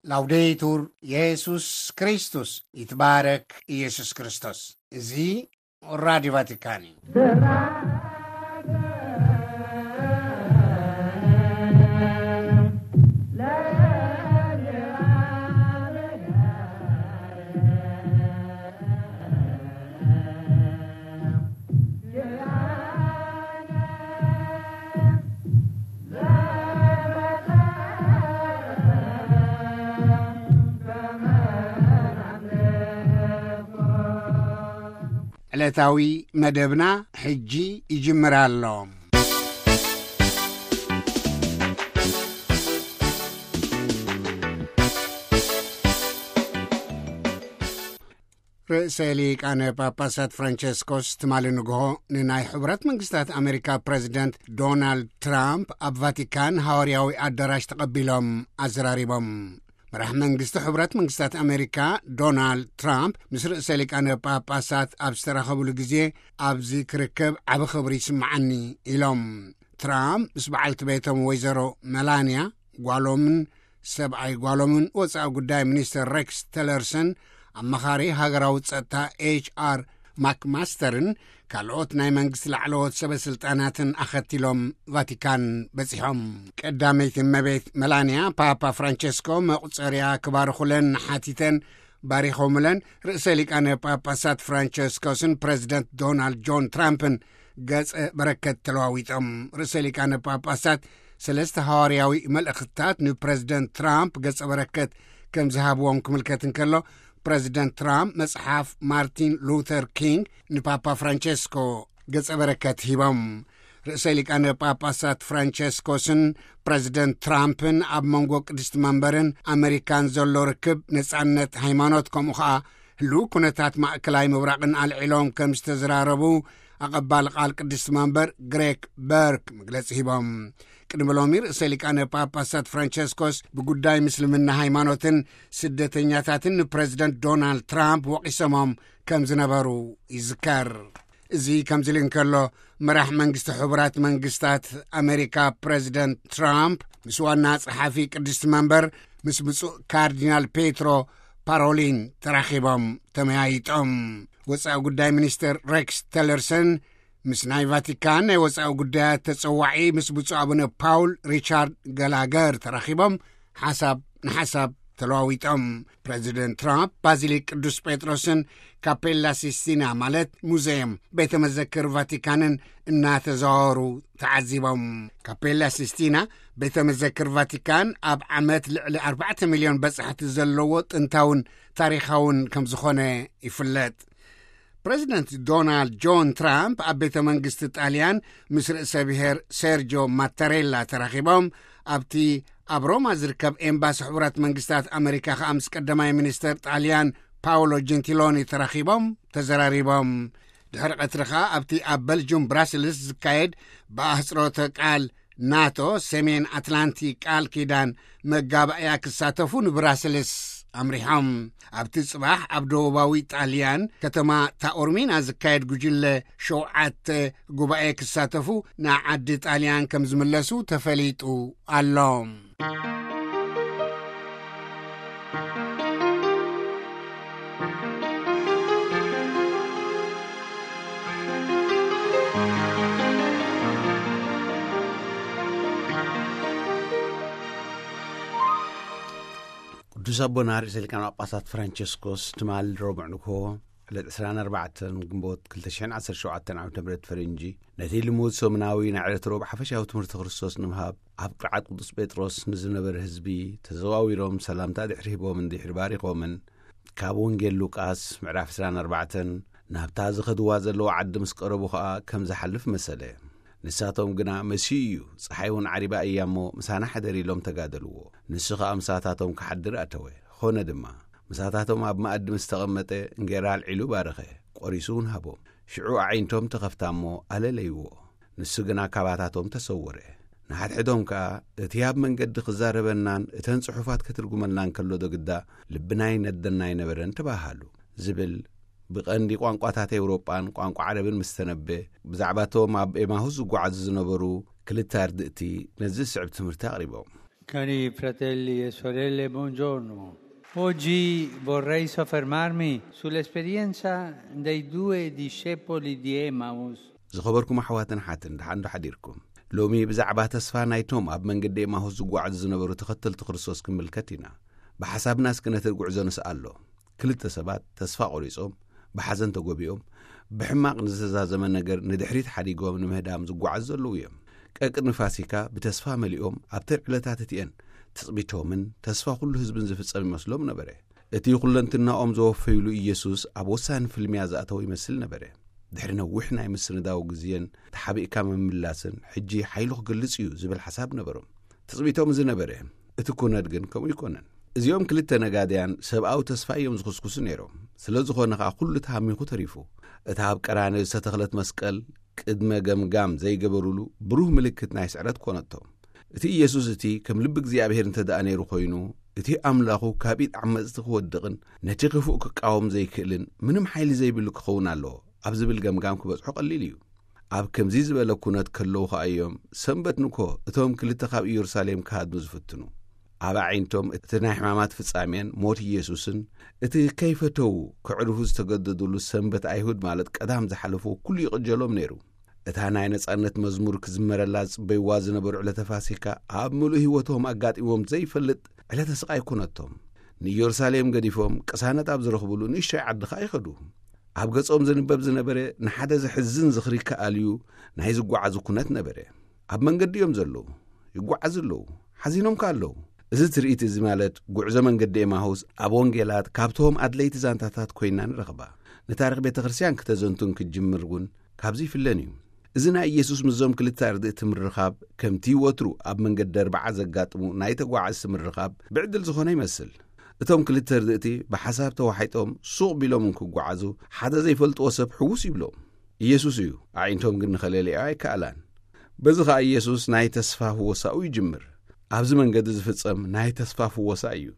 ላውዴቱር የሱስ ክርስቶስ፣ ይትባረክ ኢየሱስ ክርስቶስ። እዚ ራዲዮ ቫቲካን እዩ። ዕለታዊ መደብና ሕጂ ይጅምር ኣሎ። ርእሰ ሊቃነ ጳጳሳት ፍራንቸስኮስ ትማሊ ንግሆ ንናይ ሕቡራት መንግስታት ኣሜሪካ ፕረዚደንት ዶናልድ ትራምፕ ኣብ ቫቲካን ሃዋርያዊ ኣዳራሽ ተቐቢሎም ኣዘራሪቦም። መራሕ መንግስቲ ሕቡራት መንግስታት ኣሜሪካ ዶናልድ ትራምፕ ምስ ርእሰ ሊቃነ ጳጳሳት ኣብ ዝተራኸብሉ ግዜ፣ "ኣብዚ ክርከብ ዓቢ ክብሪ ይስምዓኒ" ኢሎም። ትራምፕ ምስ በዓልቲ ቤቶም ወይዘሮ መላንያ፣ ጓሎምን ሰብኣይ ጓሎምን፣ ወጻኢ ጉዳይ ሚኒስተር ሬክስ ቴለርሰን፣ ኣማኻሪ ሃገራዊ ጸጥታ ኤች ኣር ማክማስተርን ካልኦት ናይ መንግስቲ ላዕለዎት ሰበ ስልጣናትን ኣኸቲሎም ቫቲካን በጺሖም። ቀዳመይቲ እመቤት መላንያ፣ ፓፓ ፍራንቸስኮ መቑጸርያ ክባርኹለን ሓቲተን ባሪኾምለን። ርእሰ ሊቃነ ጳጳሳት ፍራንቸስኮስን ፕረዚደንት ዶናልድ ጆን ትራምፕን ገጸ በረከት ተለዋዊጦም። ርእሰ ሊቃነ ጳጳሳት ሰለስተ ሃዋርያዊ መልእኽትታት ንፕረዚደንት ትራምፕ ገጸ በረከት ከም ዝሃብዎም ክምልከት እንከሎ፣ ፕረዚደንት ትራምፕ መጽሓፍ ማርቲን ሉተር ኪንግ ንፓፓ ፍራንቸስኮ ገጸ በረከት ሂቦም። ርእሰ ሊቃነ ጳጳሳት ፍራንቸስኮስን ፕረዚደንት ትራምፕን ኣብ መንጎ ቅድስቲ መንበርን ኣመሪካን ዘሎ ርክብ፣ ነጻነት ሃይማኖት፣ ከምኡ ኸኣ ህሉው ኩነታት ማእከላይ ምብራቕን ኣልዒሎም ከም ዝተዘራረቡ ኣቐባሊ ቃል ቅድስቲ መንበር ግሬክ በርክ መግለጺ ሂቦም። ቅድሚ ሎሚ ርእሰ ሊቃነ ጳጳሳት ፍራንቸስኮስ ብጉዳይ ምስልምና ሃይማኖትን ስደተኛታትን ንፕረዚደንት ዶናልድ ትራምፕ ወቒሶሞም ከም ዝነበሩ ይዝከር። እዚ ከምዚ ኢሉ እንከሎ፣ መራሕ መንግስቲ ሕቡራት መንግስታት ኣሜሪካ ፕረዚደንት ትራምፕ ምስ ዋና ጸሓፊ ቅድስቲ መንበር ምስ ብፁዕ ካርዲናል ፔትሮ ፓሮሊን ተራኺቦም ተመያይጦም። ወጻኢ ጉዳይ ሚኒስተር ሬክስ ቴለርሰን ምስ ናይ ቫቲካን ናይ ወጻኢ ጉዳያት ተጸዋዒ ምስ ብፁዕ ኣቡነ ፓውል ሪቻርድ ገላገር ተራኺቦም ሓሳብ ንሓሳብ ተለዋዊጦም። ፕረዚደንት ትራምፕ ባዚሊክ ቅዱስ ጴጥሮስን ካፔላ ሲስቲና፣ ማለት ሙዘየም ቤተ መዘክር ቫቲካንን እናተዘዋወሩ ተዓዚቦም። ካፔላ ሲስቲና ቤተ መዘክር ቫቲካን ኣብ ዓመት ልዕሊ ኣርባዕተ ሚልዮን በጻሕቲ ዘለዎ ጥንታውን ታሪኻውን ከም ዝኾነ ይፍለጥ። ፕረዚደንት ዶናልድ ጆን ትራምፕ ኣብ ቤተ መንግስቲ ጣልያን ምስ ርእሰ ብሔር ሴርጆ ማታሬላ ተራኺቦም፣ ኣብቲ ኣብ ሮማ ዝርከብ ኤምባሲ ሕቡራት መንግስታት ኣመሪካ ከኣ ምስ ቀዳማይ ሚኒስተር ጣልያን ፓውሎ ጀንቲሎኒ ተራኺቦም ተዘራሪቦም። ድሕሪ ቀትሪ ከኣ ኣብቲ ኣብ በልጁም ብራስልስ ዝካየድ ብኣህጽሮተ ቃል ናቶ፣ ሰሜን ኣትላንቲክ ቃል ኪዳን መጋባእያ ክሳተፉ ንብራስልስ ኣምሪሖም። ኣብቲ ጽባሕ ኣብ ደቡባዊ ጣልያን ከተማ ታኦርሚና ዝካየድ ጉጅለ ሸውዓተ ጉባኤ ክሳተፉ ንዓዲ ጣልያን ከም ዝምለሱ ተፈሊጡ ኣሎ። ቅዱስ ኣቦና ርእሰ ሊቃነ ጳጳሳት ፍራንቸስኮስ ትማል ረቡዕ ንግሆ ዕለት ዕስራን ኣርባዕተን ግንቦት ክልተ ሽሕን ዓሰርተ ሸውዓተን ዓመተ ምህረት ፈረንጂ፣ ነቲ ልሙድ ሰሙናዊ ናይ ዕለት ረቡዕ ሓፈሻዊ ትምህርቲ ክርስቶስ ንምሃብ ኣብ ቅርዓት ቅዱስ ጴጥሮስ ንዝነበረ ህዝቢ ተዘዋዊሮም ሰላምታ ድሕሪ ሂቦምን ድሕሪ ባሪኾምን፣ ካብ ወንጌል ሉቃስ ምዕራፍ ዕስራን ኣርባዕተን ናብታ ዝኸድዋ ዘለዉ ዓዲ ምስ ቀረቡ ኸኣ ከም ዝሓልፍ መሰለ። ንሳቶም ግና፣ "መሲሁ እዩ፣ ጸሓይ እውን ዓሪባ እያ እሞ፣ ምሳና ሓደር" ኢሎም ተጋደልዎ። ንሱ ኸኣ ምሳታቶም ክሓድር ኣተወ። ኾነ ድማ፣ ምሳታቶም ኣብ መኣዲ ምስ ተቐመጠ፣ እንጌራ ኣልዒሉ ባረኸ፣ ቈሪሱ እውን ሃቦም። ሽዑ ኣዒንቶም ተኸፍታ እሞ፣ ኣለለይዎ። ንሱ ግና ካባታቶም ተሰወረ። ንሓድሕዶም ከኣ፣ "እቲ ኣብ መንገዲ ክዛረበናን እተን ጽሑፋት ከትርጉመልናን ከሎ ዶ ግዳ ልብና ይነደና ኣይነበረን?" ተባሃሉ። ዝብል ብቐንዲ ቋንቋታት ኤውሮጳን ቋንቋ ዓረብን ምስ ተነበ፣ ብዛዕባ እቶም ኣብ ኤማሁስ ዝጓዓዙ ዝነበሩ ክልተ ኣርድእቲ ነዚ ዝስዕብ ትምህርቲ ኣቕሪቦም። Cari fratelli e sorelle, buongiorno. Oggi vorrei soffermarmi sull'esperienza dei due discepoli di Emmaus. ዝኸበርኩም ኣሕዋትን ሓትን፣ ደሓን ዶ ሓዲርኩም? ሎሚ ብዛዕባ ተስፋ ናይቶም ኣብ መንገዲ ኤማሁስ ዝጓዓዙ ዝነበሩ ተኸተልቲ ክርስቶስ ክንምልከት ኢና። ብሓሳብና እስኪ ነቲ ጉዕዞ ንስኣሎ። ክልተ ሰባት ተስፋ ቆሪጾም፣ ብሓዘን ተጎቢኦም፣ ብሕማቕ ንዝተዛዘመ ነገር ንድሕሪት ሓዲጎም ንምህዳም ዝጓዓዙ ዘለዉ እዮም። ቀቅድሚ ፋሲካ ብተስፋ መሊኦም ኣብተን ዕለታት እቲኤን ትጽቢቶምን ተስፋ ኩሉ ህዝብን ዝፍጸም ይመስሎም ነበረ። እቲ ኩለንትናኦም ዘወፈይሉ ኢየሱስ ኣብ ወሳኒ ፍልሚያ ዝኣተወ ይመስል ነበረ። ድሕሪ ነዊሕ ናይ ምስንዳው ግዜን ተሓቢእካ ምምላስን፣ ሕጂ ሓይሉ ክገልጽ እዩ ዝብል ሓሳብ ነበሮም። ትጽቢቶም እዚ ነበረ። እቲ ኩነት ግን ከምኡ ይኮነን። እዚኦም ክልተ ነጋድያን ሰብኣዊ ተስፋ እዮም ዝኹስኩሱ ነይሮም። ስለ ዝኾነ ኸኣ ኩሉ ተሃሚኹ ተሪፉ። እታ ኣብ ቀራንዮ ዝተተኽለት መስቀል ቅድመ ገምጋም ዘይገበሩሉ ብሩህ ምልክት ናይ ስዕረት ኮነቶም። እቲ ኢየሱስ እቲ ከም ልቢ እግዚኣብሔር እንተ ደኣ ነይሩ ኮይኑ፣ እቲ ኣምላኹ ካብ ኢድ ዓመጽቲ ክወድቕን ነቲ ክፉእ ክቃወም ዘይክእልን ምንም ሓይሊ ዘይብሉ ክኸውን ኣለዎ ኣብ ዝብል ገምጋም ክበጽሖ ቀሊል እዩ። ኣብ ከምዚ ዝበለ ኩነት ከለዉ ኸኣ እዮም ሰንበት ንኮ እቶም ክልተ ካብ ኢየሩሳሌም ክሃድሙ ዝፍትኑ። ኣብ ኣዒንቶም እቲ ናይ ሕማማት ፍጻሜን ሞት ኢየሱስን፣ እቲ ከይፈተዉ ክዕርፉ ዝተገደዱሉ ሰንበት ኣይሁድ ማለት ቀዳም ዝሓለፍዎ ኩሉ ይቕጀሎም ነይሩ። እታ ናይ ነጻነት መዝሙር ክዝመረላ ዝጽበይዋ ዝነበሩ ዕለተ ፋሲካ ኣብ ምሉእ ህይወቶም ኣጋጢሞም ዘይፈልጥ ዕለተ ስቓይ ኮነቶም። ንኢየሩሳሌም ገዲፎም ቅሳነት ኣብ ዝረኽብሉ ንእሽቶይ ዓዲ ኸኣ ይኸዱ። ኣብ ገጾም ዝንበብ ዝነበረ ንሓደ ዘሕዝን ዝኽሪ ክኣልዩ ናይ ዝጓዓዙ ኩነት ነበረ። ኣብ መንገዲ እዮም ዘለዉ፣ ይጓዓዙ ኣለዉ፣ ሓዚኖም ከኣ ኣለዉ። እዚ ትርኢት እዚ ማለት ጉዕዞ መንገዲ ኤማሁስ ኣብ ወንጌላት ካብቶም ኣድለይቲ ዛንታታት ኮይና ንረኽባ። ንታሪኽ ቤተ ክርስቲያን ክተዘንቱን ክትጅምር እውን ካብዚ ይፍለን እዩ። እዚ ናይ ኢየሱስ ምስዞም ክልተ ኣርድእቲ ምርኻብ ከምቲ ወትሩ ኣብ መንገዲ ኣርብዓ ዘጋጥሙ ናይ ተጓዓዝቲ ምርኻብ ብዕድል ዝኾነ ይመስል። እቶም ክልተ ኣርድእቲ ብሓሳብ ተዋሒጦም ሱቕ ቢሎም እንክጓዓዙ ሓደ ዘይፈልጥዎ ሰብ ሕውስ ይብሎም። ኢየሱስ እዩ፣ ኣዒንቶም ግን ንኸለልያ ኣይከኣላን። በዚ ኸኣ ኢየሱስ ናይ ተስፋ ፍወሳኡ ይጅምር። ኣብዚ መንገዲ ዝፍጸም ናይ ተስፋ ፍወሳ እዩ።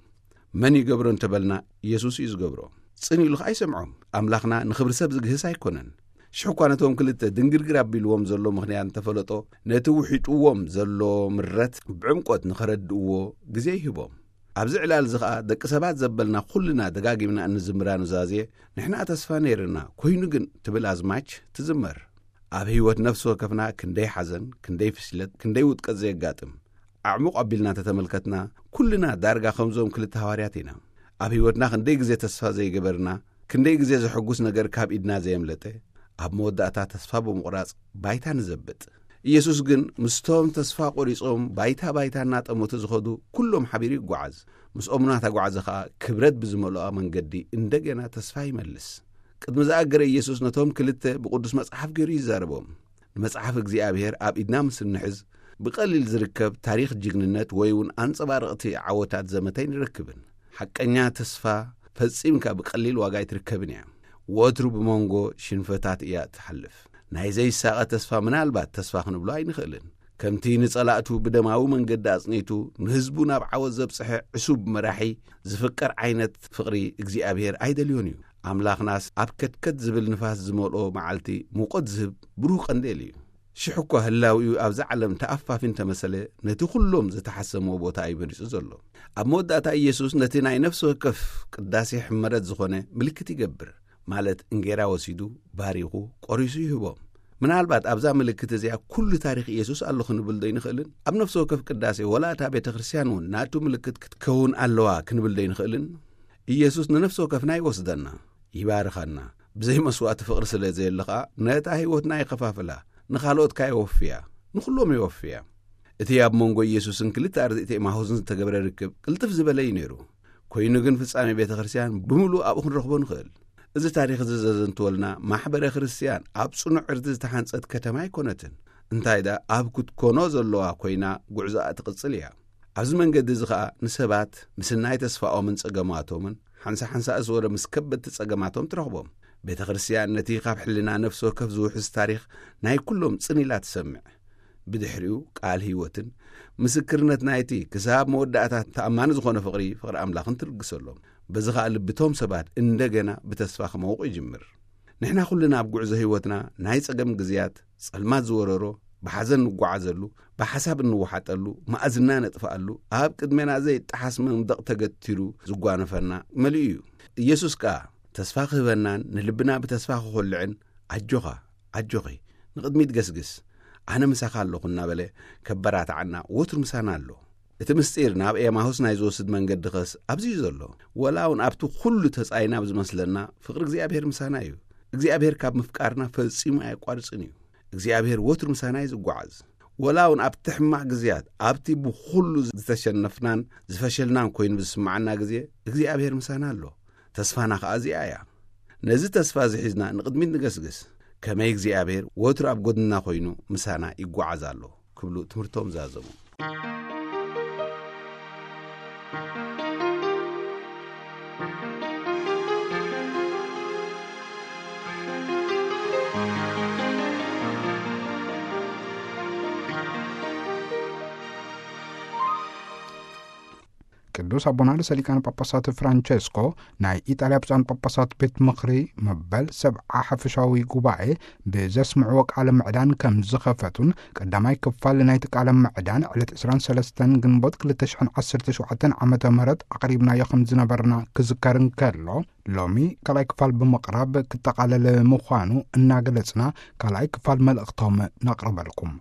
መን ይገብሮ እንተበልና፣ ኢየሱስ እዩ ዝገብሮ። ጽን ኢሉ ኸኣ ኣይሰምዖም። ኣምላኽና ንኽብሪ ሰብ ዝግህስ ኣይኮነን። ሽሕ እኳ ነቶም ክልተ ድንግርግር ኣቢልዎም ዘሎ ምኽንያት እንተፈለጦ፣ ነቲ ውሒጥዎም ዘሎ ምረት ብዕምቆት ንኸረድእዎ ግዜ ይህቦም። ኣብዚ ዕላል እዚ ኸኣ ደቂ ሰባት ዘበልና ኩልና ደጋጊምና እንዝምራ ኑዛዜ፣ "ንሕና ተስፋ ነይርና፣ ኮይኑ ግን" ትብል ኣዝማች ትዝመር። ኣብ ህይወት ነፍሲ ወከፍና ክንደይ ሓዘን፣ ክንደይ ፍሽለት፣ ክንደይ ውድቀት ዘየጋጥም። ኣዕሙቕ ኣቢልና እንተተመልከትና፣ ኩልና ዳርጋ ከምዞም ክልተ ሃዋርያት ኢና። ኣብ ህይወትና ክንደይ ግዜ ተስፋ ዘይገበርና፣ ክንደይ ግዜ ዘሐጉስ ነገር ካብ ኢድና ዘየምለጠ፣ ኣብ መወዳእታ ተስፋ ብምቑራጽ ባይታ ንዘብጥ። ኢየሱስ ግን ምስቶም ተስፋ ቆሪጾም ባይታ ባይታ እናጠመቱ ዝኸዱ ኩሎም ሓቢሩ ይጓዓዝ። ምስኦም እናተጓዓዘ ኸኣ ክብረት ብዝመልኦ መንገዲ እንደገና ተስፋ ይመልስ። ቅድሚ ዝኣገረ ኢየሱስ ነቶም ክልተ ብቅዱስ መጽሓፍ ገይሩ ይዛረቦም። ንመጽሓፍ እግዚኣብሔር ኣብ ኢድና ምስ እንሕዝ፣ ብቐሊል ዝርከብ ታሪኽ ጅግንነት ወይ እውን ኣንጸባረቕቲ ዓወታት ዘመተ ኣይንረክብን። ሓቀኛ ተስፋ ፈጺምካ ብቐሊል ዋጋ ኣይትርከብን እያ። ወትሩ ብመንጎ ሽንፈታት እያ እትሓልፍ። ናይ ዘይሳቐ ተስፋ ምናልባት ተስፋ ክንብሎ ኣይንኽእልን። ከምቲ ንጸላእቱ ብደማዊ መንገዲ ኣጽኒቱ፣ ንህዝቡ ናብ ዓወት ዘብጽሐ ዕሱብ መራሒ ዝፍቀር ዓይነት ፍቕሪ እግዚኣብሔር ኣይደልዮን እዩ። ኣምላኽናስ ኣብ ከትከት ዝብል ንፋስ ዝመልኦ መዓልቲ ሙቐት ዝህብ ብሩህ ቀንዴል እዩ። ሽሕ እኳ ህላዊኡ ኣብዛ ዓለም ተኣፋፊ እንተመሰለ፣ ነቲ ኩሎም ዝተሓሰሞ ቦታ እዩ መሪጹ ዘሎ። ኣብ መወዳእታ ኢየሱስ ነቲ ናይ ነፍሲ ወከፍ ቅዳሴ ሕመረት ዝኾነ ምልክት ይገብር። ማለት እንጌራ ወሲዱ፣ ባሪኹ፣ ቆሪሱ ይህቦም። ምናልባት ኣብዛ ምልክት እዚኣ ኩሉ ታሪኽ ኢየሱስ ኣሎ ክንብል ዶ ኣይንኽእልን? ኣብ ነፍሲ ወከፍ ቅዳሴ፣ ወላ እታ ቤተ ክርስቲያን እውን ናቱ ምልክት ክትከውን ኣለዋ ክንብል ዶ ኣይንኽእልን? ኢየሱስ ንነፍሲ ወከፍና ይወስደና፣ ይባርኸና። ብዘይ መስዋእቲ ፍቕሪ ስለ ዘየለ ኸኣ፣ ነታ ህይወትና ይኸፋፍላ፣ ንኻልኦት ከኣ የወፍያ፣ ንኹሎም የወፍያ። እቲ ኣብ መንጎ ኢየሱስን ክልተ ኣርድእቲ ኤማሁስን ዝተገብረ ርክብ ቅልጥፍ ዝበለ እዩ ነይሩ። ኮይኑ ግን ፍጻሜ ቤተ ክርስቲያን ብምሉእ ኣብኡ ክንረኽቦ ንኽእል። እዚ ታሪኽ እዚ ዘዘንትወልና ማሕበረ ክርስቲያን ኣብ ጽኑዕ ዕርዲ ዝተሓንጸት ከተማ ኣይኮነትን። እንታይ ደኣ ኣብ ክትኮኖ ዘለዋ ኮይና ጉዕዞኣ ትቕጽል እያ። ኣብዚ መንገዲ እዚ ኸኣ ንሰባት ምስናይ ተስፋኦምን ጸገማቶምን ሓንሳ ሓንሳ እዝወረ ምስ ከበድቲ ጸገማቶም ትረኽቦም። ቤተ ክርስቲያን ነቲ ካብ ሕልና ነፍሲ ወከፍ ዝውሕዝ ታሪኽ ናይ ኩሎም ጽን ኢላ ትሰምዕ። ብድሕሪኡ ቃል ህይወትን ምስክርነት ናይቲ ክሳብ መወዳእታ ተኣማኒ ዝኾነ ፍቕሪ፣ ፍቕሪ ኣምላኽን ትልግሰሎም። በዚ ኸኣ ልብቶም ሰባት እንደገና ብተስፋ ክመውቕ ይጅምር። ንሕና ኩልና ኣብ ጉዕዞ ህይወትና ናይ ጸገም ግዜያት፣ ጸልማት ዝወረሮ፣ ብሓዘን ንጓዓዘሉ፣ ብሓሳብ እንወሓጠሉ፣ መኣዝና ነጥፍኣሉ፣ ኣብ ቅድሜና ዘይጠሓስ መንደቕ ተገቲሩ ዝጓነፈና መሊኡ እዩ። ኢየሱስ ከኣ ተስፋ ክህበናን ንልብና ብተስፋ ክኾልዕን፣ "ኣጆኻ፣ ኣጆኺ፣ ንቕድሚት ገስግስ፣ ኣነ ምሳኻ ኣለኹ" እናበለ ከበራትዓና ወትሩ ምሳና ኣሎ። እቲ ምስጢር ናብ ኤማሁስ ናይ ዝወስድ መንገዲ ኸስ ኣብዚ እዩ ዘሎ። ወላ እውን ኣብቲ ኩሉ ተጻይና ኣብ ዝመስለና፣ ፍቕሪ እግዚኣብሔር ምሳና እዩ። እግዚኣብሔር ካብ ምፍቃርና ፈጺሙ ኣየቋርጽን እዩ። እግዚኣብሔር ወትሩ ምሳና እዩ ዝጓዓዝ። ወላ እውን ኣብቲ ሕማቕ ግዜያት፣ ኣብቲ ብኹሉ ዝተሸነፍናን ዝፈሸልናን ኮይኑ ብዝስምዓና ግዜ፣ እግዚኣብሔር ምሳና ኣሎ። ተስፋና ኸኣ እዚኣ እያ። ነዚ ተስፋ እዚ ሒዝና ንቕድሚት ንገስግስ። ከመይ እግዚኣብሔር ወትሩ ኣብ ጎድንና ኮይኑ ምሳና ይጓዓዝ ኣሎ ክብሉ ትምህርቶም ዛዘሙ። ቅዱስ ኣቦና ርእሰ ሊቃነ ጳጳሳት ፍራንቸስኮ ናይ ኢጣልያ ብፁዓን ጳጳሳት ቤት ምኽሪ መበል ሰብዓ ሓፈሻዊ ጉባኤ ብዘስምዕዎ ቃለ ምዕዳን ከም ዝኸፈቱን፣ ቀዳማይ ክፋል ናይቲ ቃለ ምዕዳን ዕለት ዕስራን ሰለስተን ግንቦት ክልተ ሽሕን ዓሰርተ ሸውዓተን ዓመተ ምህረት ኣቕሪብናዮ ከም ዝነበርና ክዝከር እንከሎ፣ ሎሚ ካልኣይ ክፋል ብምቕራብ ክጠቓለል ምዃኑ እናገለጽና፣ ካልኣይ ክፋል መልእኽቶም ነቕርበልኩም።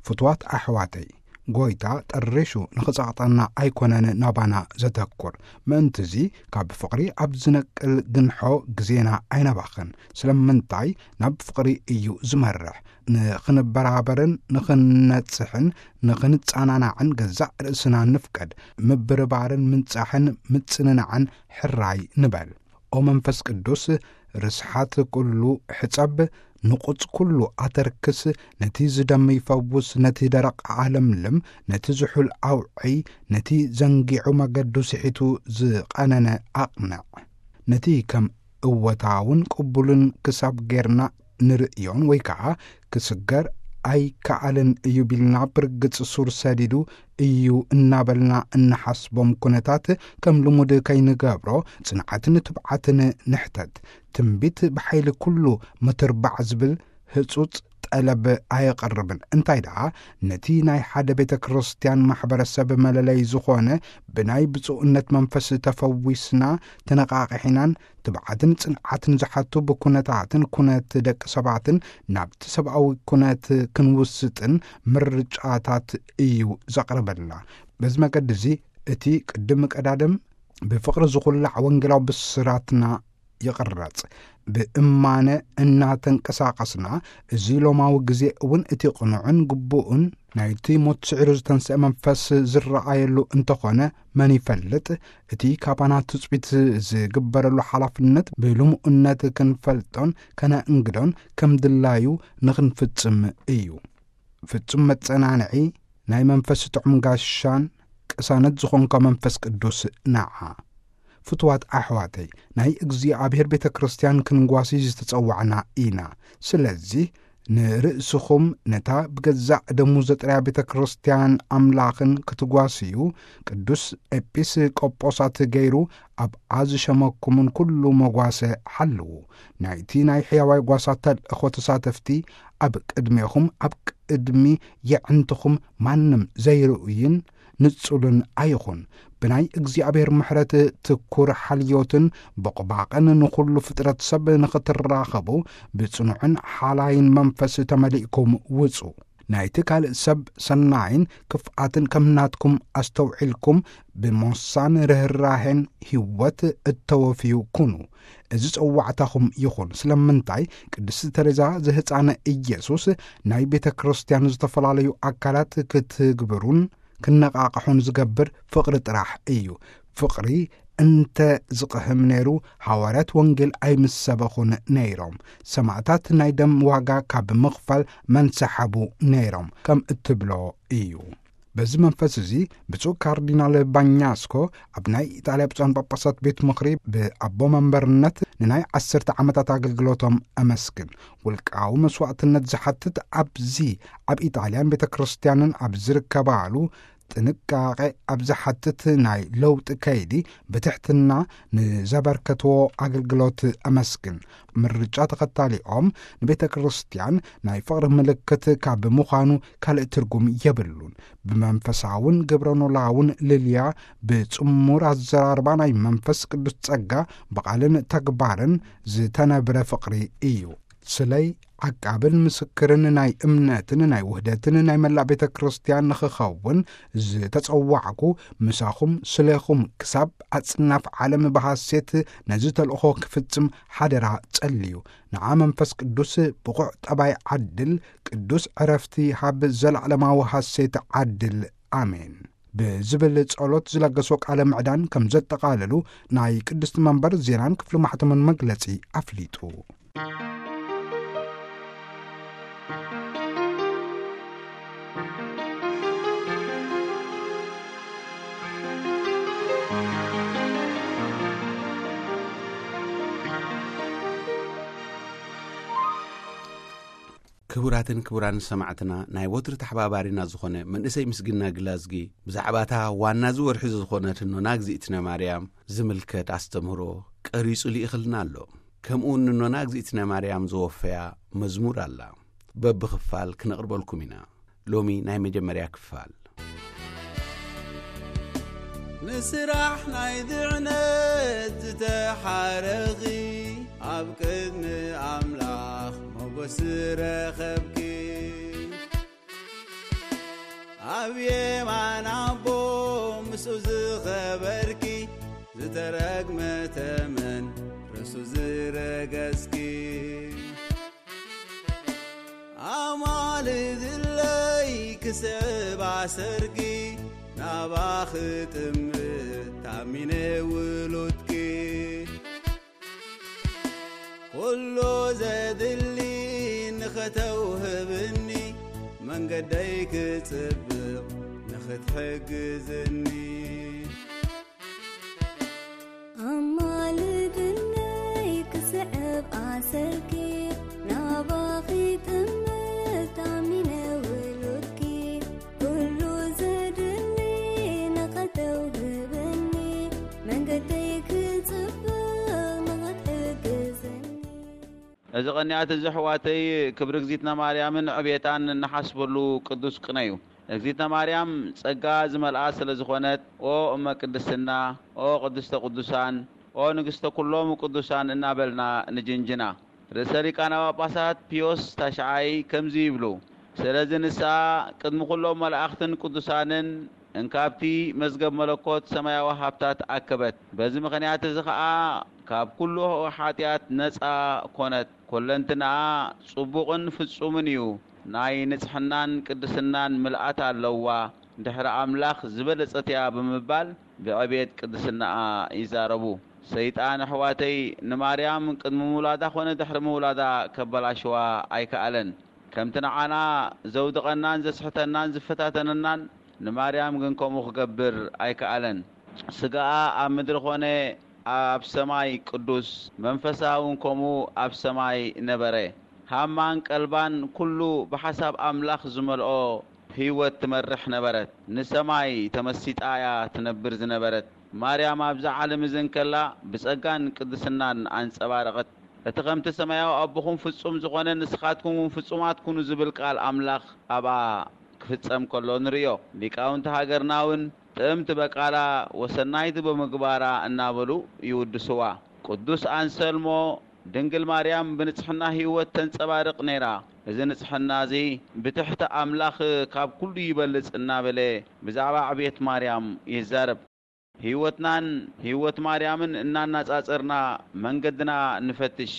ፍቱዋት ኣሕዋተይ፣ ጎይታ ጠሪሹ ንኽጸቕጠና ኣይኮነን ናባና ዘተኩር። ምእንትዚ ካብ ፍቕሪ ኣብ ዝነቅል ግንሖ ግዜና ኣይነባኽን። ስለምንታይ ናብ ፍቕሪ እዩ ዝመርሕ። ንኽንበራበርን ንኽንነጽሕን ንኽንጸናናዕን ገዛእ ርእስና ንፍቀድ። ምብርባርን ምንጻሕን ምጽንናዕን ሕራይ ንበል። ኦ መንፈስ ቅዱስ፣ ርስሓት ኩሉ ሕጸብ፣ ንቑጽ ኩሉ ኣተርክስ፣ ነቲ ዝደም ይፈውስ፣ ነቲ ደረቕ ኣለምልም፣ ነቲ ዝሑል ኣውዒ፣ ነቲ ዘንጊዑ መገዱ ስሒቱ ዝቐነነ ኣቕንዕ። ነቲ ከም እወታውን ቅቡልን ክሳብ ጌርና ንርእዮን ወይ ከኣ ክስገር ኣይከኣልን እዩ ቢልና ብርግጽ ሱር ሰዲዱ እዩ እናበልና እንሓስቦም ኩነታት ከም ልሙድ ከይንገብሮ ጽንዓትን ትብዓትን ንሕተት። ትንቢት ብሓይሊ ኩሉ ምትርባዕ ዝብል ህጹጽ ጠለብ ኣየቕርብን። እንታይ ደኣ ነቲ ናይ ሓደ ቤተ ክርስቲያን ማሕበረሰብ መለለይ ዝኾነ ብናይ ብፁዕነት መንፈስ ተፈዊስና ተነቓቒሒናን ትብዓትን ጽንዓትን ዝሓቱ ብኩነታትን ኩነት ደቂ ሰባትን ናብቲ ሰብኣዊ ኩነት ክንውስጥን ምርጫታት እዩ ዘቕርበልና። በዚ መገዲ እዚ እቲ ቅድም ቀዳድም ብፍቕሪ ዝኹላዕ ወንጌላዊ ብስራትና ይቕረጽ። ብእማነ እናተንቀሳቐስና፣ እዚ ሎማዊ ግዜ እውን እቲ ቅኑዕን ግቡእን ናይቲ ሞት ስዒሩ ዝተንስአ መንፈስ ዝረኣየሉ እንተኾነ፣ መን ይፈልጥ? እቲ ካባና ትጽቢት ዝግበረሉ ሓላፍነት ብልሙእነት ክንፈልጦን ከነእንግዶን ከም ድላዩ ንኽንፍጽም እዩ። ፍጹም መጸናንዒ ናይ መንፈስ ጥዑም ጋሻን ቅሳነት ዝኾንካ መንፈስ ቅዱስ ንዓ። ፍቱዋት ኣሕዋተይ፣ ናይ እግዚኣብሔር ቤተ ክርስቲያን ክንጓሲ ዝተጸዋዕና ኢና። ስለዚ ንርእስኹም ነታ ብገዛእ ደሙ ዘጥርያ ቤተ ክርስቲያን ኣምላኽን ክትጓስዩ፣ ቅዱስ ኤጲስቆጶሳት ገይሩ ኣብኣ ዝሸመኩምን ኩሉ መጓሰ ሓልዉ። ናይቲ ናይ ሕያዋይ ጓሳ ተልእኾ ተሳተፍቲ ኣብ ቅድሜኹም፣ ኣብ ቅድሚ የዕንትኹም ማንም ዘይርእይን ንጹልን ኣይኹን። ብናይ እግዚኣብሔር ምሕረት ትኩር ሓልዮትን ቦቕባቕን ንኹሉ ፍጥረት ሰብ ንኽትራኸቡ ብጽኑዕን ሓላይን መንፈስ ተመሊእኩም ውጹ። ናይቲ ካልእ ሰብ ሰናይን ክፍኣትን ከም ናትኩም ኣስተውዒልኩም ብሞሳን ርህራሄን ህይወት እተወፍዩ ኩኑ። እዚ ጸዋዕታኹም ይኹን። ስለምንታይ ቅድስቲ ተሬዛ ዘህፃነ ኢየሱስ ናይ ቤተ ክርስቲያን ዝተፈላለዩ ኣካላት ክትግብሩን ክነቓቕሑን ዝገብር ፍቕሪ ጥራሕ እዩ። ፍቕሪ እንተ ዝቕህም ነይሩ፣ ሃዋርያት ወንጌል ኣይምሰበኹን ነይሮም። ሰማእታት ናይ ደም ዋጋ ካብ ምኽፋል መንሰሓቡ ነይሮም ከም እትብሎ እዩ። በዚ መንፈስ እዚ፣ ብፁዕ ካርዲናል ባኛስኮ ኣብ ናይ ኢጣልያ ብፁዓን ጳጳሳት ቤት ምኽሪ ብኣቦ መንበርነት ንናይ ዓሰርተ ዓመታት ኣገልግሎቶም ኣመስግን። ውልቃዊ መስዋዕትነት ዝሓትት ኣብዚ ኣብ ኢጣልያን ቤተ ክርስቲያንን ኣብ ዝርከባሉ ጥንቃቄ ኣብ ዝሓትት ናይ ለውጢ ከይዲ ብትሕትና ንዘበርከትዎ ኣገልግሎት ኣመስግን። ምርጫ ተኸታሊኦም ንቤተ ክርስቲያን ናይ ፍቕሪ ምልክት ካብ ምዃኑ ካልእ ትርጉም የብሉን። ብመንፈሳውን ግብረ ኖላውን ልልያ፣ ብጽሙር ኣዘራርባ ናይ መንፈስ ቅዱስ ጸጋ ብቓልን ተግባርን ዝተነብረ ፍቕሪ እዩ። ስለይ ዓቃብን ምስክርን ናይ እምነትን ናይ ውህደትን ናይ መላእ ቤተ ክርስቲያን ንኽኸውን ዝተጸዋዕኩ፣ ምሳኹም ስሌኹም ክሳብ ኣጽናፍ ዓለም ብሃሴት ነዚ ተልእኾ ክፍጽም ሓደራ ጸልዩ። ንዓ መንፈስ ቅዱስ ብቑዕ ጠባይ ዓድል፣ ቅዱስ ዕረፍቲ ሃብ፣ ዘለዓለማዊ ሃሴት ዓድል። ኣሜን። ብዝብል ጸሎት ዝለገሶ ቃለ ምዕዳን ከም ዘጠቓለሉ ናይ ቅድስቲ መንበር ዜናን ክፍሊ ማሕተምን መግለጺ ኣፍሊጡ። ክቡራትን ክቡራን ሰማዕትና፣ ናይ ወትሩ ተሓባባሪና ዝኾነ መንእሰይ ምስግና ግላዝጊ ብዛዕባታ ዋና እዚ ወርሒ ዝኾነት እኖና እግዚኣብነ ማርያም ዝምልከት ኣስተምህሮ ቀሪጹ ልኢኽልና ኣሎ። ከምኡ እውን ንኖና እግዚኣብነ ማርያም ዘወፈያ መዝሙር ኣላ። በብኽፋል ክነቕርበልኩም ኢና። ሎሚ ናይ መጀመርያ ክፋል። ንስራሕ ናይ ድዕነት ዝተሓረኺ፣ ኣብ ቅድሚ ኣምላኽ ሞገስ ረኸብኪ። ኣብ የማን ኣቦ ምስኡ ዝኸበርኪ፣ ዝተረግመ ተመን ርእሱ ዝረገጽኪ። ኣማልድለይ ክስዕብ ኣሰርኪ፣ ናባኺ ጥምት ታሚነ ውሉድኪ። ኩሉ ዘድሊ ንኸተውህብኒ፣ መንገደይ ክጽብቕ ንኽትሕግዝኒ። ኣማልድለይ ክስዕብ ኣሰርኪ፣ ናባኺ ጥምት ታሚነ ውሉድኪ። ኩሉ ዘድሊ ንኸተውህብኒ፣ መንገደይ ክጽብቕ ንኽትሕግዝኒ። እዚ ቐንያት እዚ ኣሕዋተይ፣ ክብሪ እግዚኣብነ ማርያምን ዕቤታን እንሓስበሉ ቅዱስ ቅነ እዩ። እግዚኣብነ ማርያም ጸጋ ዝመልኣ ስለ ዝኾነት፣ ኦ እመ ቅድስና፣ ኦ ቅድስተ ቅዱሳን፣ ኦ ንግስተ ኩሎም ቅዱሳን እናበልና ንጅንጅና። ርእሰ ሊቃነ ጳጳሳት ፒዮስ ታሽዓይ ከምዚ ይብሉ፣ ስለዚ ንስኣ ቅድሚ ኩሎም መላእኽትን ቅዱሳንን እንካብቲ መዝገብ መለኮት ሰማያዊ ሃብታት ኣከበት። በዚ ምኽንያት እዚ ኸኣ ካብ ኩሉ ሓጢኣት ነጻ ኮነት። ኩለንትናኣ ጽቡቕን ፍጹምን እዩ። ናይ ንጽሕናን ቅድስናን ምልኣት ኣለዋ። ድሕሪ ኣምላኽ ዝበለጸት እያ ብምባል ብዕቤት ቅድስናኣ ይዛረቡ። ሰይጣን ኣሕዋተይ ንማርያም ቅድሚ ምውላዳ ኾነ ድሕሪ ምውላዳ ከበላሽዋ ኣይከኣለን። ከምቲ ንዓና ዘውድቐናን ዘስሕተናን ዝፈታተነናን ንማርያም ግን ከምኡ ክገብር ኣይከኣለን። ስጋኣ ኣብ ምድሪ ኾነ ኣብ ሰማይ ቅዱስ፣ መንፈሳ እውን ከምኡ ኣብ ሰማይ ነበረ። ሃማን ቀልባን ኩሉ ብሓሳብ ኣምላኽ ዝመልኦ ህይወት ትመርሕ ነበረት። ንሰማይ ተመሲጣ እያ ትነብር ዝነበረት። ማርያም ኣብዚ ዓለም እዚ እንከላ ብጸጋን ቅድስናን ኣንጸባረቐት። እቲ ከምቲ ሰማያዊ ኣቦኹም ፍጹም ዝኾነ ንስኻትኩም እውን ፍጹማት ኩኑ ዝብል ቃል ኣምላኽ ኣብኣ ክፍጸም ከሎ ንርእዮ። ሊቃውንቲ ሃገርና እውን ጥእምቲ በቃላ ወሰናይቲ ብምግባራ እናበሉ ይውድስዋ። ቅዱስ ኣንሰልሞ ድንግል ማርያም ብንጽሕና ህይወት ተንጸባርቕ ነይራ። እዚ ንጽሕና እዚ ብትሕቲ ኣምላኽ ካብ ኩሉ ይበልጽ እናበለ ብዛዕባ ዕቤት ማርያም ይዛረብ። ህይወትናን ህይወት ማርያምን እናናጻጸርና መንገድና ንፈትሽ።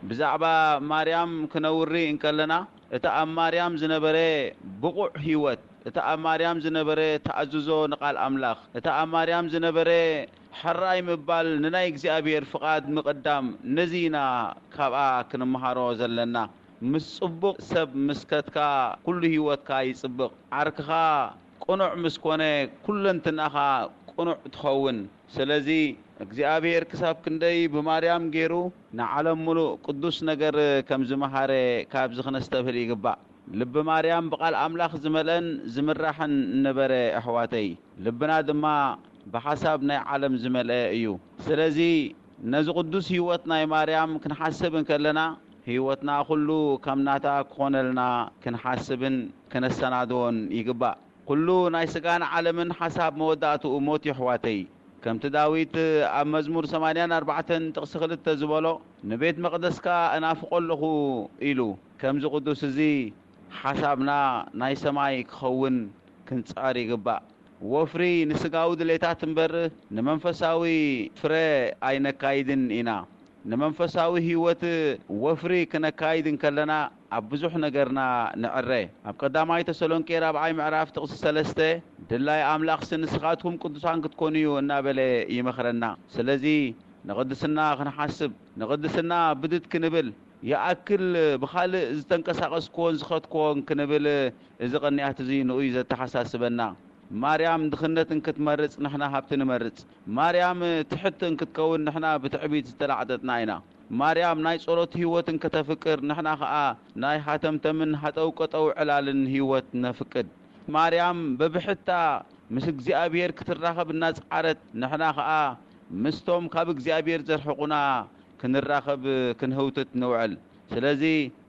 ብዛዕባ ማርያም ክነውሪ እንከለና፣ እቲ ኣብ ማርያም ዝነበረ ብቑዕ ህይወት፣ እቲ ኣብ ማርያም ዝነበረ ተኣዝዞ ንቓል ኣምላኽ፣ እቲ ኣብ ማርያም ዝነበረ ሕራይ ምባል፣ ንናይ እግዚኣብሔር ፍቓድ ምቕዳም፣ ነዚ ኢና ካብኣ ክንመሃሮ ዘለና። ምስ ጽቡቕ ሰብ ምስ ከድካ፣ ኩሉ ህይወትካ ይጽብቕ። ዓርክኻ ቅኑዕ ምስ ኮነ፣ ኩለንትናኻ ቅኑዕ ትኸውን። ስለዚ እግዚኣብሔር ክሳብ ክንደይ ብማርያም ገይሩ ንዓለም ምሉእ ቅዱስ ነገር ከም ዝመሃረ ካብዚ ክነስተብህል ይግባእ። ልቢ ማርያም ብቓል ኣምላኽ ዝመልአን ዝምራሕን ነበረ ኣሕዋተይ። ልብና ድማ ብሓሳብ ናይ ዓለም ዝመልአ እዩ። ስለዚ ነዚ ቅዱስ ህይወት ናይ ማርያም ክንሓስብ እንከለና፣ ህይወትና ኩሉ ከም ናታ ክኾነልና ክንሓስብን ክነሰናድዎን ይግባእ። ኩሉ ናይ ስጋን ዓለምን ሓሳብ መወዳእትኡ ሞት እዩ ኣሕዋተይ። ከምቲ ዳዊት ኣብ መዝሙር ሰማንያን ኣርባዕተን ጥቕሲ ክልተ ዝበሎ፣ "ንቤት መቕደስካ እናፍቆ ኣለኹ" ኢሉ። ከምዚ ቅዱስ እዚ ሓሳብና ናይ ሰማይ ክኸውን ክንጽዕር ይግባእ። ወፍሪ ንስጋዊ ድሌታት እምበር ንመንፈሳዊ ፍረ ኣይነካይድን ኢና። ንመንፈሳዊ ህይወት ወፍሪ ክነካይድ እንከለና ኣብ ብዙሕ ነገርና ንዕረ። ኣብ ቀዳማይ ተሰሎንቄ ራብዓይ ምዕራፍ ጥቕሲ ሰለስተ፣ "ድላይ ኣምላኽሲ ንስኻትኩም ቅዱሳን ክትኮኑ እዩ" እናበለ ይመኽረና። ስለዚ ንቕድስና ክንሓስብ፣ ንቕድስና ብድድ ክንብል፣ ይኣክል ብኻልእ ዝተንቀሳቐስክዎን ዝኸድክዎን ክንብል፣ እዚ ቅንያት እዚ ንኡይ ዘተሓሳስበና። ማርያም ድኽነት እንክትመርጽ፣ ንሕና ሃብቲ ንመርጽ። ማርያም ትሕቲ እንክትከውን፣ ንሕና ብትዕቢት ዝተላዕጠጥና ኢና። ማርያም ናይ ጸሎት ህይወት እንክተፍቅር፣ ንሕና ኸኣ ናይ ሃተምተምን ሃጠውቀጠው ዕላልን ህይወት ነፍቅድ። ማርያም በብሕታ ምስ እግዚኣብሔር ክትራኸብ እናጸዓረት፣ ንሕና ኸኣ ምስቶም ካብ እግዚኣብሔር ዘርሕቑና ክንራኸብ ክንህውትት ንውዕል። ስለዚ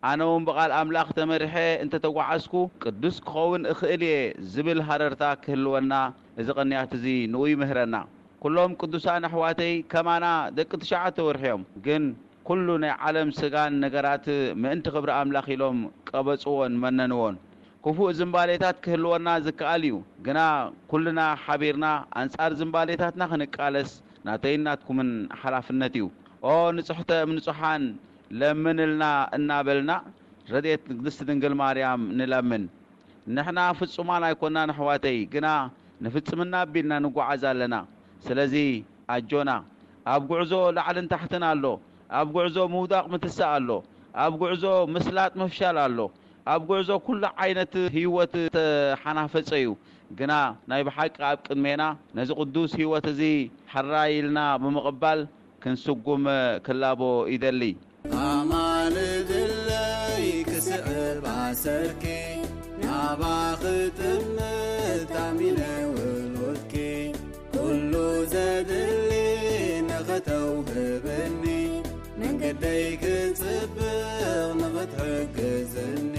ኣነ እውን ብቓል ኣምላኽ ተመሪሐ እንተተጓዓዝኩ፣ ቅዱስ ክኸውን እኽእል እየ ዝብል ሃረርታ ክህልወና እዚ ቅንያት እዚ ንኡ ይምህረና። ኩሎም ቅዱሳን ኣሕዋተይ ከማና ደቂ ትሽዓተ ወርሒ እዮም። ግን ኩሉ ናይ ዓለም ስጋን ነገራት ምእንቲ ክብሪ ኣምላኽ ኢሎም ቀበጽዎን መነንዎን። ክፉእ ዝንባሌታት ክህልወና ዝከኣል እዩ፣ ግና ኩልና ሓቢርና ኣንጻር ዝንባሌታትና ክንቃለስ ናተይን ናትኩምን ሓላፍነት እዩ። "ኦ ንጽሕተ እም ንጹሓን ለምንልና" እናበልና ረድኤት ንግድስቲ ድንግል ማርያም ንለምን። ንሕና ፍጹማን ኣይኮናን ኣሕዋተይ፣ ግና ንፍጽምና ኣቢልና ንጓዓዝ ኣለና። ስለዚ ኣጆና። ኣብ ጉዕዞ ላዕልን ታሕትን ኣሎ። ኣብ ጉዕዞ ምውዳቕ ምትሳእ ኣሎ። ኣብ ጉዕዞ ምስላጥ ምፍሻል ኣሎ። ኣብ ጉዕዞ ኩሉ ዓይነት ህይወት ተሓናፈጸ እዩ። ግና ናይ ብሓቂ ኣብ ቅድሜና ነዚ ቅዱስ ህይወት እዚ ሕራይ ኢልና ብምቕባል ክንስጉም ክላቦ ይደሊ። ኣማልድለይ ክስዕብ ኣሰርኪ፣ ናባኺ ጥምት ኣሚነ ውሉድኪ፣ ኩሉ ዘድሊ ንኽተውህብኒ፣ መንገደይ ክጽብቕ ንኽትሕግዝኒ።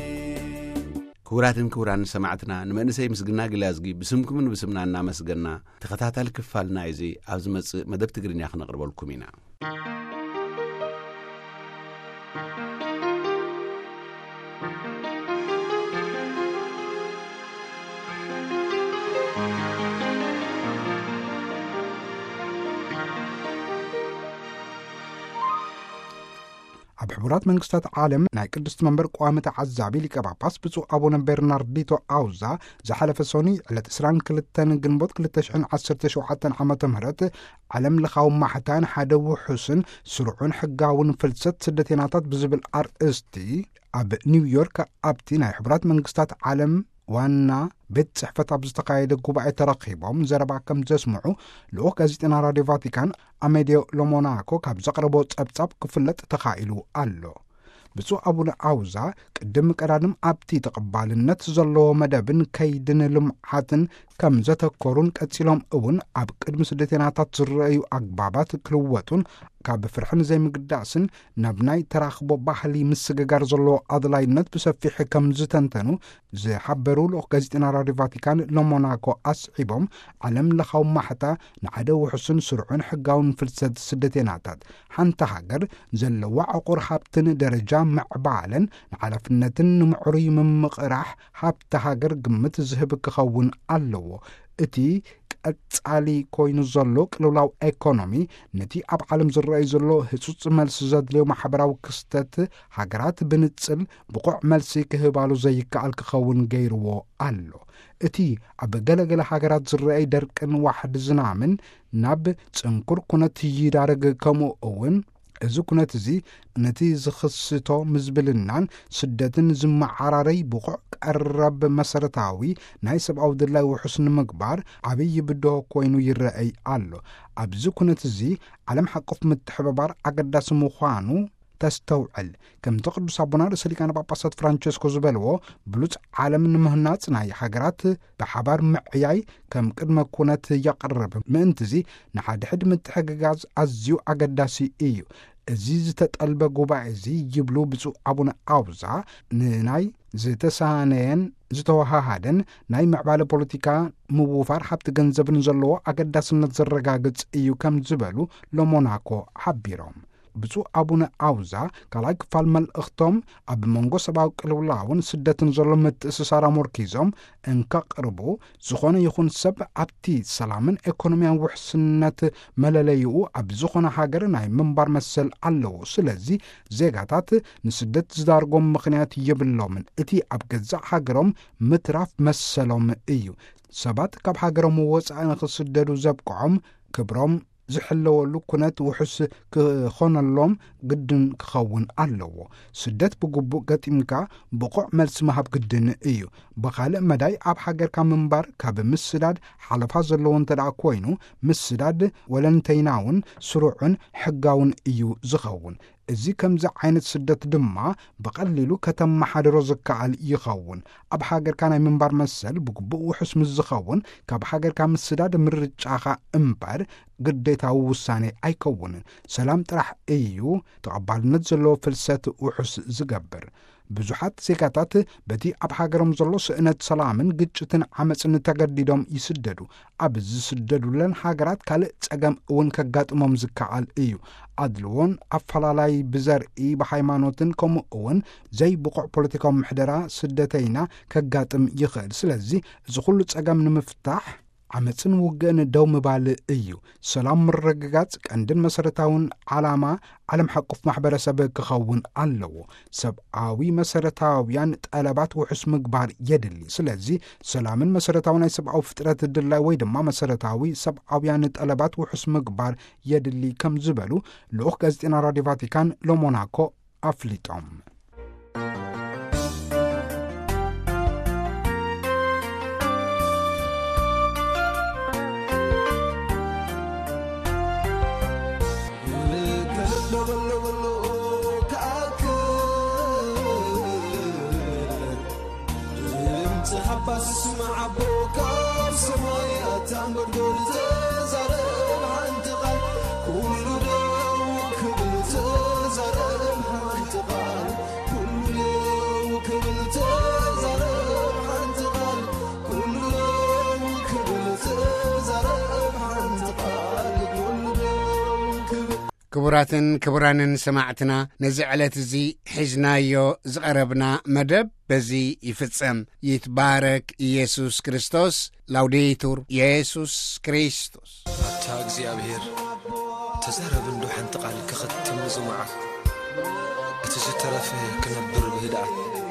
ክቡራትን ክቡራን ሰማዕትና፣ ንመንእሰይ ምስግና ግላዝጊ ብስምኩምን ብስምና እናመስገና፣ ተኸታታሊ ክፋል ናይዚ ኣብ ዝመጽእ መደብ ትግርኛ ክነቕርበልኩም ኢና። ኣብ ሕቡራት መንግስታት ዓለም ናይ ቅድስቲ መንበር ቋሚ ተዓዛቢ ሊቀ ጳጳስ ብፁዕ ኣቡነ ቤርናርዲቶ ኣውዛ ዝሓለፈ ሰኑይ ዕለት ዕስራን ክልተን ግንቦት ክልተ ሽሕን ዓሰርተ ሸውዓተን ዓመተ ምህረት ዓለም ለኻዊ ማሕታ ንሓደ ውሑስን ስሩዕን ሕጋውን ፍልሰት ስደተይናታት ብዝብል ኣርእስቲ ኣብ ኒውዮርክ ኣብቲ ናይ ሕቡራት መንግስታት ዓለም ዋና ቤት ጽሕፈት ኣብ ዝተኻየደ ጉባኤ ተረኺቦም ዘረባ ከም ዘስምዑ ልኡኽ ጋዜጠና ራድዮ ቫቲካን ኣሜድዮ ሎሞናኮ ካብ ዘቕረቦ ጸብጻብ ክፍለጥ ተኻኢሉ ኣሎ። ብፁዕ ኣቡነ ኣውዛ ቅድም ቀዳድም ኣብቲ ተቐባልነት ዘለዎ መደብን ከይድን ልምዓትን ከም ዘተኮሩን ቀጺሎም እውን ኣብ ቅድሚ ስደተይናታት ዝረኣዩ ኣግባባት ክልወጡን ካብ ፍርሕን ዘይምግዳስን ናብ ናይ ተራኽቦ ባህሊ ምስግጋር ዘለዎ ኣድላይነት ብሰፊሕ ከም ዝተንተኑ ዝሓበሩ ልኡኽ ጋዜጠና ራድዮ ቫቲካን ሎሞናኮ ኣስዒቦም፣ ዓለም ለኻዊ ማሕታ ንሓደ ውሑስን ስሩዕን ሕጋውን ፍልሰት ስደተይናታት ሓንቲ ሃገር ዘለዋ ዕቑር ሃብትን ደረጃ ምዕባለን ንሓላፍነትን ንምዕሩይ ምምቕራሕ ሃብቲ ሃገር ግምት ዝህብ ክኸውን ኣለዎ። እቲ ቀጻሊ ኮይኑ ዘሎ ቅልውላው ኤኮኖሚ ነቲ ኣብ ዓለም ዝረኣይ ዘሎ ህጹጽ መልሲ ዘድልዮ ማሕበራዊ ክስተት ሃገራት ብንጽል ብቑዕ መልሲ ክህባሉ ዘይከኣል ክኸውን ገይርዎ ኣሎ። እቲ ኣብ ገለገለ ሃገራት ዝረኣይ ደርቅን ዋሕዲ ዝናምን ናብ ጽንኩር ኩነት ይዳረግ፣ ከምኡ እውን እዚ ኩነት እዚ ነቲ ዝኽስቶ ምዝብልናን ስደትን ዝመዓራረይ ብቑዕ ቀረብ መሰረታዊ ናይ ሰብኣዊ ድላይ ውሑስ ንምግባር ዓብዪ ብድሆ ኮይኑ ይረኣይ ኣሎ። ኣብዚ ኩነት እዚ ዓለም ሓቆፍ ምትሕብባር ኣገዳሲ ምዃኑ ተስተውዕል። ከምቲ ቅዱስ ኣቦና ርእሰ ሊቃነ ጳጳሳት ፍራንቸስኮ ዝበልዎ፣ ብሉጽ ዓለም ንምህናጽ ናይ ሃገራት ብሓባር ምዕያይ ከም ቅድመ ኩነት የቕርብ። ምእንትዚ ንሓድሕድ ምትሕግጋዝ ኣዝዩ ኣገዳሲ እዩ። እዚ ዝተጠልበ ጉባኤ እዚ፣ ይብሉ ብፁዕ ኣቡነ ኣውዛ፣ ንናይ ዝተሳነየን ዝተወሃሃደን ናይ ምዕባለ ፖለቲካ፣ ምውፋር ሃብቲ ገንዘብን ዘለዎ ኣገዳስነት ዘረጋግጽ እዩ ከም ዝበሉ ሎሞናኮ ሓቢሮም። ብፁዕ ኣቡነ ኣውዛ ካልኣይ ክፋል መልእኽቶም፣ ኣብ መንጎ ሰብኣዊ ቅልውላውን ስደትን ዘሎ ምትእስሳር ኣሞርኪዞም እንከቕርቡ፣ ዝኾነ ይኹን ሰብ ኣብቲ ሰላምን ኤኮኖሚያን ውሕስነት መለለይኡ ኣብ ዝኾነ ሃገር ናይ ምንባር መሰል ኣለዎ። ስለዚ ዜጋታት ንስደት ዝዳርጎም ምኽንያት የብሎምን። እቲ ኣብ ገዛእ ሃገሮም ምትራፍ መሰሎም እዩ። ሰባት ካብ ሃገሮም ወጻኢ ንኽስደዱ ዘብቅዖም ክብሮም ዝሕለወሉ ኩነት ውሑስ ክኾነሎም ግድን ክኸውን ኣለዎ። ስደት ብግቡእ ገጢምካ ብቑዕ መልሲ ምሃብ ግድን እዩ። ብኻልእ መዳይ፣ ኣብ ሃገርካ ምንባር ካብ ምስዳድ ሓለፋ ዘለዎ እንተ ደኣ ኮይኑ፣ ምስዳድ ወለንተይናውን ስሩዕን ሕጋውን እዩ ዝኸውን። እዚ ከምዚ ዓይነት ስደት ድማ ብቐሊሉ ከተመሓድሮ ዝከኣል ይኸውን። ኣብ ሃገርካ ናይ ምንባር መሰል ብግቡእ ውሑስ ምስ ዝኸውን፣ ካብ ሃገርካ ምስዳድ ምርጫኻ እምበር ግዴታዊ ውሳኔ ኣይከውንን። ሰላም ጥራሕ እዩ ተቐባልነት ዘለዎ ፍልሰት ውሑስ ዝገብር። ብዙሓት ዜጋታት በቲ ኣብ ሃገሮም ዘሎ ስእነት ሰላምን ግጭትን ዓመጽን ተገዲዶም ይስደዱ። ኣብ ዝስደዱለን ሃገራት ካልእ ጸገም እውን ከጋጥሞም ዝከኣል እዩ። ኣድልዎን ኣፈላላይ ብዘርኢ፣ ብሃይማኖትን ከምኡ እውን ዘይብቑዕ ፖለቲካዊ ምሕደራ ስደተይና ከጋጥም ይኽእል። ስለዚ እዚ ኩሉ ጸገም ንምፍታሕ ዓመጽን ውግእን ደው ምባል እዩ። ሰላም ምርግጋጽ ቀንድን መሰረታውን ዓላማ ዓለም ሓቁፍ ማሕበረሰብ ክኸውን ኣለዎ። ሰብኣዊ መሰረታውያን ጠለባት ውሑስ ምግባር የድሊ። ስለዚ ሰላምን መሰረታዊ ናይ ሰብኣዊ ፍጥረት ድላይ ወይ ድማ መሰረታዊ ሰብኣውያን ጠለባት ውሑስ ምግባር የድሊ ከም ዝበሉ ልኡኽ ጋዜጠና ራድዮ ቫቲካን ሎሞናኮ ኣፍሊጦም። ክቡራትን ክቡራንን ሰማዕትና፣ ነዚ ዕለት እዚ ሒዝናዮ ዝቐረብና መደብ በዚ ይፍጸም። ይትባረክ ኢየሱስ ክርስቶስ። ላውዴቱር ኢየሱስ ክርስቶስ። ኣታ እግዚኣብሔር፣ ተዛረብ እንዶ ሓንቲ ቃል ክኸትም እዚ መዓል። እቲ ዝተረፈ ክነብር ብህድኣት።